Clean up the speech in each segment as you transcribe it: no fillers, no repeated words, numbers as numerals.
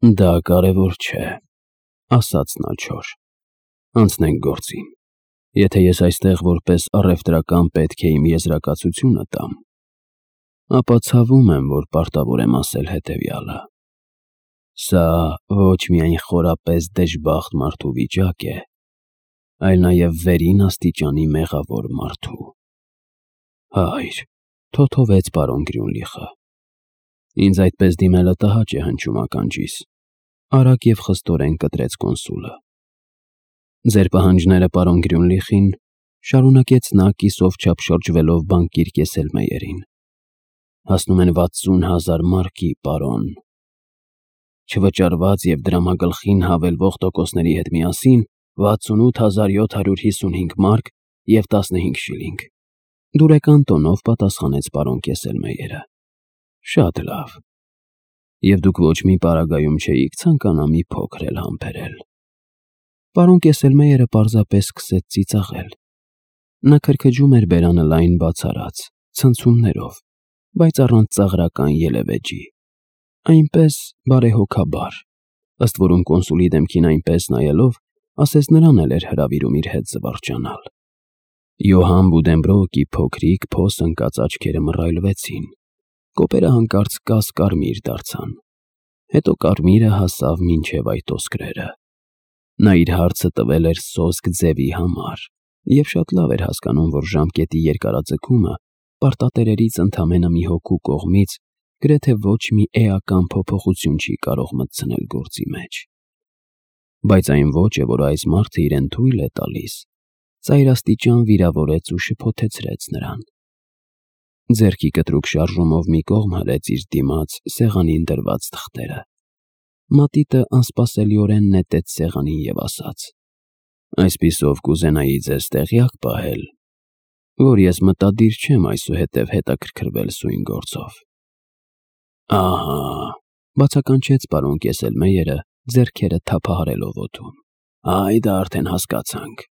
Դա կարևոր չէ, ասաց նա չոր։ Անցնենք գործին։ Եթե ես այստեղ որպես առևտրական պետք է իմ եզրակացությունը տամ, ապա ցավում եմ, որ պարտավոր եմ ասել հետևյալը. սա ոչ միայն խորապես դժբախտ մարդու վիճակ է, այլ նաև վերին աստիճանի մեղավոր մարդու։ Հայր, թոթովեց պարոն Գրյունլիխը, ինձ այդպես դիմելը տհաճ է հնչում ականջիս, արագ և խստորեն կտրեց կոնսուլը։ Ձեր պահանջները, պարոն Գրյունլիխին, շարունակեց նա կիսով չափ շրջվելով բանկիր Կեսելմեյերին, հասնում են 60,000 մարկի, պարոն։ Չվճարված և դրամագլխին հավելվող տոկոսների հետ միասին 68,755 մարկ և 15 շիլինգ։ Դուրեկան տոնով պատասխանեց պարոն Կեսելմեյերը։ Շատ լավ։ Եվ դուք ոչ մի պարագայում չէիք ցանկանա մի փոքր էլ համբերել։ Պարոն Կեսելմեյերը պարզապես սկսեց ծիծաղել։ Նա քրքջում էր բերանը լայն բացառած, ցնցումներով, բայց առանց ծաղրական ելևէջի, այնպես բարեհոգաբար, ըստ որում կոնսուլի դեմքին այնպես նայելով, ասես նրան էլ էր հրավիրում իր հետ զվարճանալ։ Յոհան Բուդենբրոկի փոքրիկ փոս ընկած աչքերը մռայլվեցին, կոպերը հանկարծ կաս-կարմիր դարձան, հետո կարմիրը հասավ մինչև այդ ոսկրերը։ Նա իր հարցը տվել էր սոսկ ձևի համար և շատ լավ էր հասկանում, որ ժամկետի երկարաձգումը պարտատերերից ընդամենը մի հոգու կողմից գրեթե ոչ մի էական փոփոխություն չի կարող մտցնել գործի մեջ։ Բայց այն ոճը, որ այս մարդը իրեն թույլ է տալիս, ծայրաստիճան վիրավորեց ու շփոթեցրեց նրան։ Ձեռքի կտրուկ շարժումով մի կողմ հրեց իր դիմաց սեղանին դրված թղթերը։ Մատիտը անսպասելիորեն նետեց սեղանին և ասաց. Այսպիսով կուզենայի ձեզ տեղյակ պահել, որ ես մտադիր չեմ այսուհետև հետաքրքրվել սույն գործով։ Ահա, բացականչեց պարոն Կեսելմեյերը, ձեռքերը թափահարելով օդում։ Այ դա արդեն հասկացանք,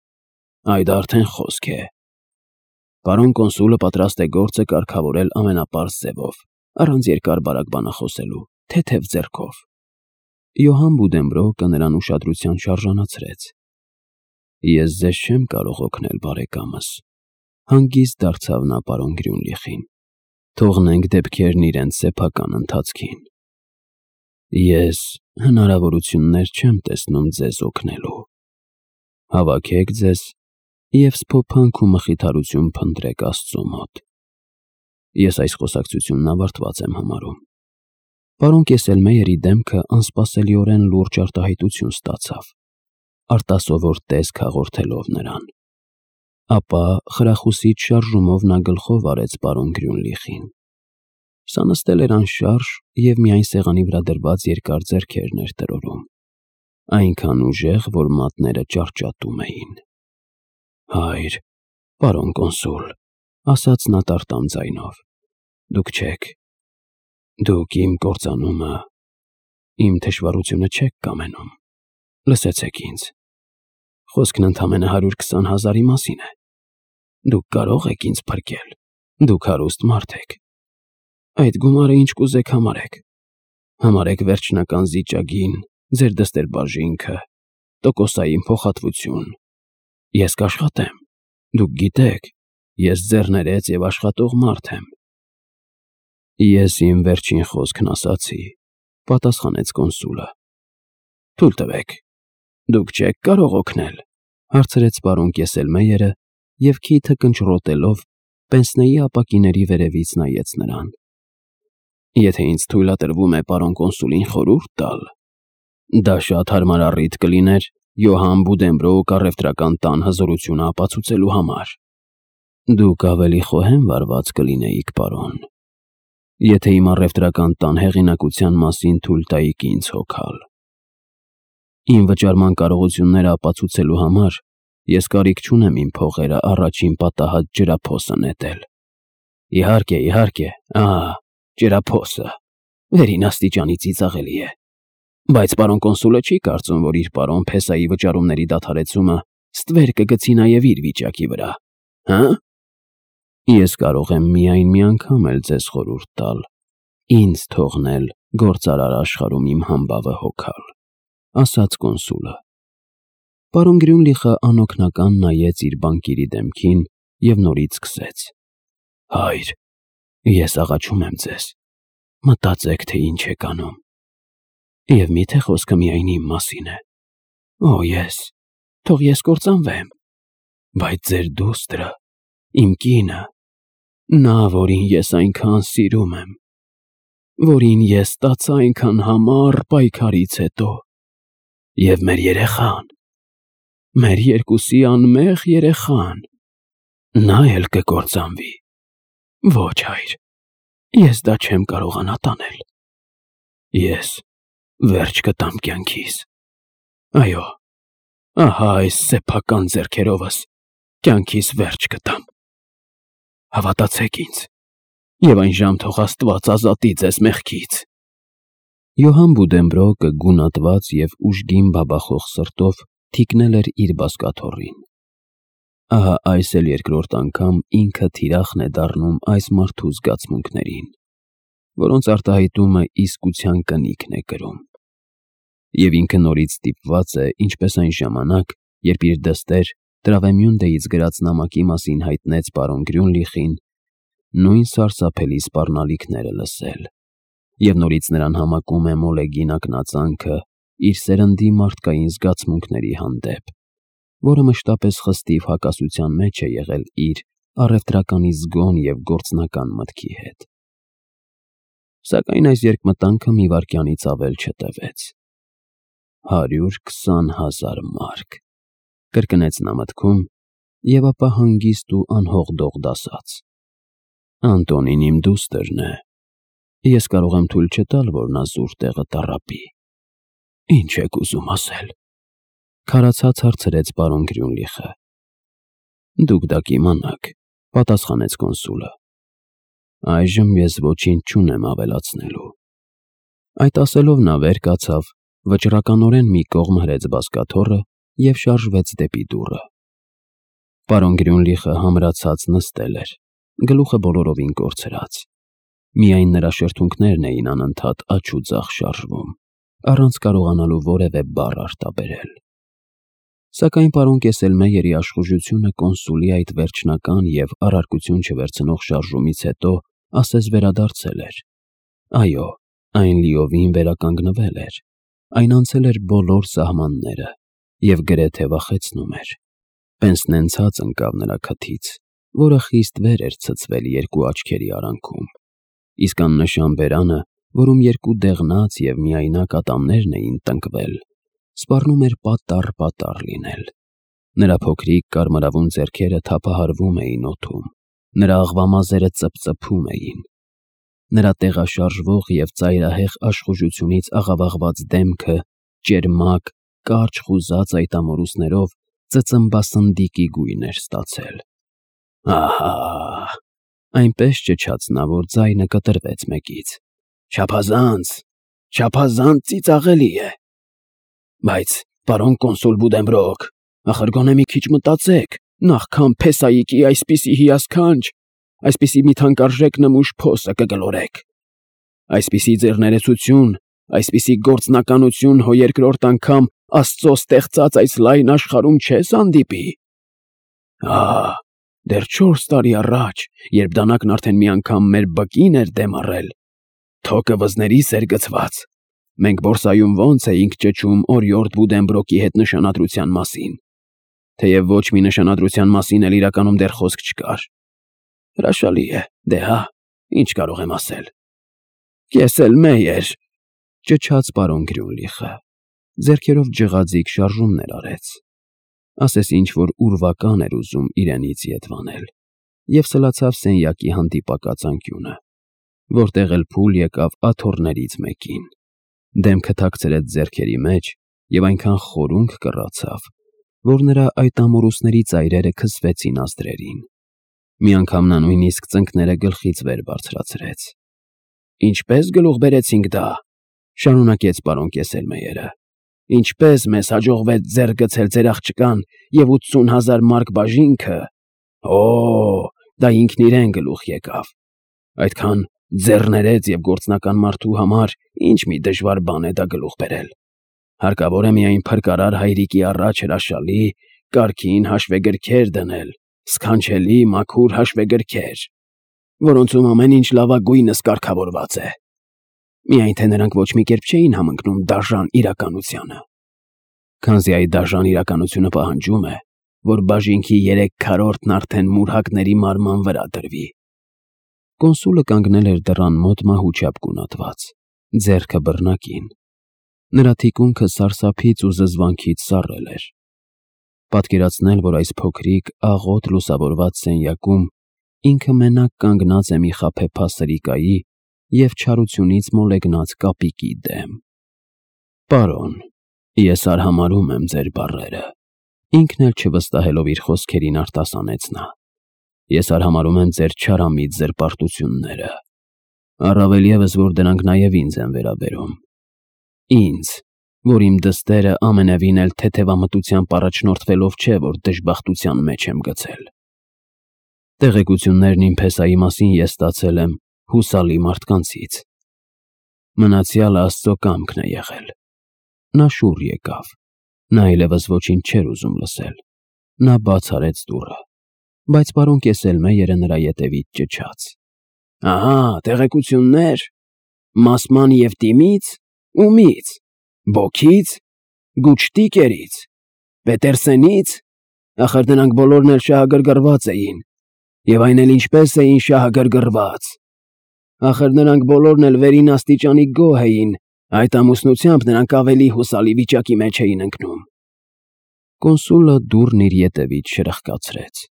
այ դա արդեն խոսք է։ Պարոն կոնսուլը պատրաստ է գործը կարգավորել ամենապարզ ձևով, առանց երկար-բարակ բանախոսելու, թեթև ձեռքով։ Յոհան Բուդենբրոկը նրան ուշադրության շարժանացրեց։ Ես ձեզ չեմ կարող օգնել, բարեկամս, հանգիստ դարձավ նա պարոն Գրյունլիխին։ Թողնենք դեպքերն իրենց սեփական ընթացքին։ Ես հնարավորություններ չեմ տեսնում ձեզ օգնելու։ Հավաքեք ձեզ և սփոփանք ու մխիթարություն փնտրեք Աստծո մոտ։ Ես այս խոսակցությունն ավարտված եմ համարում։ Պարոն Կեսելմեյերի դեմքը անսպասելիորեն լուրջ արտահայտություն ստացավ, արտասովոր տեսք հաղորդելով նրան։ Ապա խրախուսիչ շարժումով նա գլխով արեց պարոն Գրյունլիխին։ Սա նստել էր անշարժ և միայն սեղանի վրա դրված երկար ձեռքերն էր տրորում, այնքան ուժեղ, որ մատները ճարճատում էին։ Հայր, պարոն կոնսուլ, ասաց նա տարտամ ձայնով, դուք չեք, դուք իմ կործանումը, իմ թշվառությունը չեք կամենում, լսեցեք ինձ, խոսքն ընդամենը 120,000-ի մասին է, դուք կարող եք ինձ փրկել, դուք հարուստ մարդ եք, այդ գումարը ինչ կուզեք համարեք վերջնական զիջագին, ձեր դստեր֊բաժինքը, տոկոսային փոխհատվություն, ես կաշխատեմ, դուք գիտեք, ես ձեռներեց և աշխատող մարդ եմ։ Ես իմ վերջին խոսքն ասացի, պատասխանեց կոնսուլը։ Թույլ տվեք, դուք չեք կարող օգնել, հարցրեց պարոն Կեսելմեյերը և քիթը կնճռոտելով պենսնեի ապակիների վերևից նայեց նրան։ Եթե ինձ թույլատրվում է պարոն կոնսուլին խորհուրդ տալ, դա շատ հարմար առիթ կլիներ Յոհան Բուդենբրոկ առևտրական տան հզորությունը ապացուցելու համար։ Դուք ավելի խոհեմ վարված կլինեիք, պարոն, եթե իմ առևտրական տան հեղինակության մասին թույլ տայիք ինձ հոգալ։ Իմ վճարման կարողությունները ապացուցելու համար ես կարիք չունեմ իմ փողերը առաջին պատահած ջրափոսը նետել։ Իհարկե, ահա, ջրափոսը, վերին աստիճանի ծիծաղելի է։ Բայց պարոն կոնսուլը չի կարծում, որ իր պարոն Փեսայի վճարումների դադարեցումը ստվեր կգցի նաև իր վիճակի վրա, հը՞։ Ես կարող եմ միայն մի անգամ էլ ձեզ խորհուրդ տալ, ինձ թողնել գործարար աշխարհում իմ համբավը հոգալ, ասաց կոնսուլը։ Պարոն Գրյունլիխը անօգնական նայեց իր բանկիրի դեմքին և նորից սկսեց. Հայր, ես աղաչում եմ ձեզ, մտածեք, թե ինչ եք անում։ Եվ միթե խոսքը միայն իմ մասին է։ Օ, թող ես կործանվեմ, բայց ձեր դուստրը, իմ կինը, նա, որին ես այնքան սիրում եմ, որին ես ստացա այնքան համառ պայքարից հետո, և մեր երեխան, մեր երկուսի անմեղ երեխան, նա էլ կկործանվի։ Ոչ, հայր, ես դա չեմ կարողանա տանել։ Ես վերջ կտամ կյանքիս։ Այո, ահա այս սեփական ձեռքերովս կյանքիս վերջ կտամ։ Հավատացեք ինձ, և այն ժամ թող Աստված ազատի ձեզ մեղքից։ Յոհան Բուդենբրոկը գունատված և ուժգին բաբախող սրտով թիկնել էր իր բազկաթոռին։ Ահա այս էլ երկրորդ անգամ ինքը թիրախն է դառնում այս մարդու զգացմունքներին, որոնց արտահայտումը իսկության կնիքն է կրում։ Եվ ինքը նորից ստիպված է, ինչպես այն ժամանակ, երբ իր դստեր Տրավեմյունդեից գրած նամակի մասին հայտնեց պարոն Գրյունլիխին, նույն սարսափելի սպառնալիքները լսել, և նորից նրան համակում է մոլեգին ակնածանքը իր սերնդի մարդկային զգացմունքների հանդեպ, որը մշտապես խստիվ հակասության մեջ է եղել իր առևտրականի զգոն և գործնական մտքի հետ։ Սակայն այս երկմտանքը մի վայրկյանից ավել չտևեց։ 120,000 մարկ, կրկնեց նա մտքում, և ապա հանգիստ ու անհողդողդ ասաց. Անտոնին իմ դուստրն է, ես կարող եմ թույլ չտալ, որ նա զուր տեղը տառապի։ Ինչ եք ուզում ասել, քարացած հարցրեց պարոն Գրյունլիխը։ Դուք դա կիմանաք, պատասխանեց կոնսուլը։ Այժմ ես ոչինչ չունեմ ավելացնելու։ Այդ ասելով նա վեր կացավ, վճռականորեն մի կողմ հրեց բազկաթոռը և շարժվեց դեպի դուռը։ Պարոն Գրյունլիխը համրացած նստել էր, գլուխը բոլորովին կորցրած։ Միայն նրա շրթունքներն էին անընդհատ աջ ու ձախ շարժվում, առանց կարողանալու որևէ բառ արտաբերել։ Սակայն պարոն Կեսելմեյերի աշխուժությունը կոնսուլի այդ վերջնական և առարկություն չվերցնող շարժումից հետո ասես վերադարձել էր։ Այո, այն լիովին վերականգնվել էր, այն անցել էր բոլոր սահմանները և գրեթե վախեցնում էր։ Պենսնեն ցած ընկավ նրա քթից, որը խիստ վեր էր ցցվել երկու աչքերի արանքում, իսկ աննշան բերանը, որում երկու դեղնած և միայնակ ատամներն էին տնկվել, սպառնում էր պատառ լինել։ Նրա փոքրիկ կարմրավուն ձեռքերը թափահարվում էին օդում, նրա աղվամազերը ծպծփում էին։ Նրա տեղաշարժվող և ծայրահեղ աշխուժությունից աղավաղված դեմքը ճերմակ, կարճ խուզած այդ ամորուսներով ծծմբասնդիկի գույն էր ստացել։ Ահա, այնպես ճչաց նա, որ ձայնը կտրվեց մեկից։ Չափազանց ծիծաղելի է։ Բայց, պարոն կոնսուլ Բուդենբրոկ, ախր գոնե մի քիչ մտածեք, նախքան փեսայիկի այսպիսի հիասքանչ, այսպիսի մի թանկարժեք նմուշ փոսը կգլորեք։ Այսպիսի ձեռներեցություն, այսպիսի գործնականություն հո երկրորդ անգամ Աստծո ստեղծած այս լայն աշխարհում չես հանդիպի։ Դեռ 4 տարի առաջ, երբ դանակն արդեն մի անգամ մեր բկին էր դեմ առել, թոկը վզներիս էր գցված, մենք բորսայում ոնց էինք ճչում օրիորդ Բուդենբրոկի հետ նշանադրության մասին, թեև ոչ մի նշանադրության մասին էլ իրականում դեռ խոսք չկար։ Հրաշալի է, դե հա, ինչ կարող եմ ասել։ Կեսելմեյեր, ճչաց պարոն Գրյունլիխը, ձեռքերով ջղաձիգ շարժումներ արեց, ասես ինչ-որ ուրվական էր ուզում իրենից ետ վանել, և սլացավ սենյակի հանդիպակաց անկյունը, որտեղ էլ փուլ եկավ աթոռներից մեկին, դեմքը թաքցրեց ձեռքերի մեջ և այնքան խորունկ կռացավ, որ նրա այդ ամորուսների ծայրերը քսվեցին ազդրերին։ Մի անգամ նա նույնիսկ ծնկները գլխից վեր բարձրացրեց։ Ինչպես գլուխ բերեցինք դա, շարունակեց պարոն Կեսելմեյերը, ինչպես մեզ հաջողվեց ձեռք գցել ձեր աղջկան և 80,000 մարկ բաժինքը, դա ինքն իրեն գլուխ եկավ, այդքան Ձեռներեց և գործնական մարդու համար ինչ մի դժվար բան է դա գլուխ բերել։ Հարկավոր է միայն փրկարար հայրիկի առաջ հրաշալի, կարգին հաշվեգրքեր դնել, սքանչելի, մաքուր հաշվեգրքեր, որոնցում ամեն ինչ լավագույնս կարգավորված է։ Միայն թե նրանք ոչ մի կերպ չէին համընկնում դաժան իրականությանը։ Քանզի այդ դաժան իրականությունը պահանջում է, որ բաժինքի 3/4-ն արդեն մուրհակների մարման վրա դրվի։ Կոնսուլը կանգնել էր դռան մոտ մահուճապ կունատված, ձեռքը բռնակին։ Նրա թիկունքը սարսափից ու զզվանքից սառել էր։ Պատկերացնել, որ այս փոքրիկ, աղոտ լուսավորված սենյակում ինքը մենակ կանգնած է մի խաբեբա սրիկայի և չարությունից մոլեգնած կապիկի դեմ։ Պարոն, ես արհամարհում եմ ձեր բառերը, ինքն էլ չվստահելով իր խոսքերին արտասանեց նա։ Ես արհամարհում եմ ձեր չարամիտ զրպարտությունները, առավել ևս, որ դրանք նաև ինձ են վերաբերում։ Ինձ, որ իմ դստերը ամենևին էլ թեթևամտությամբ առաջնորդվելով չէ, որ դժբախտության մեջ եմ գցել։ Տեղեկություններն իմ փեսայի մասին ես ստացել եմ հուսալի մարդկանցից։ Մնացյալը Աստծո կամքն է եղել։ Նա շուռ եկավ։ Նա այլևս ոչինչ չէր ուզում լսել։ Նա բաց արեց դուռը, բայց պարոն Կեսելմեյերը նրա ետևից ճչաց. «Ահա, տեղեկություններ… Մասման և տիմից… Ումից… Բոքից… Գուչտիկերից… Պետերսենից… Ախր նրանք բոլորն էլ շահագրգռված էին, և այն էլ ինչպես էին շահագրգռված… Ախր նրանք բոլորն էլ վերին աստիճանի գոհ էին, այդ ամուսնությամբ նրանք ավելի հուսալի վիճակի մեջ էին ընկնում»։ Կոնսուլը դուռն իր ետևից շրխկացրեց։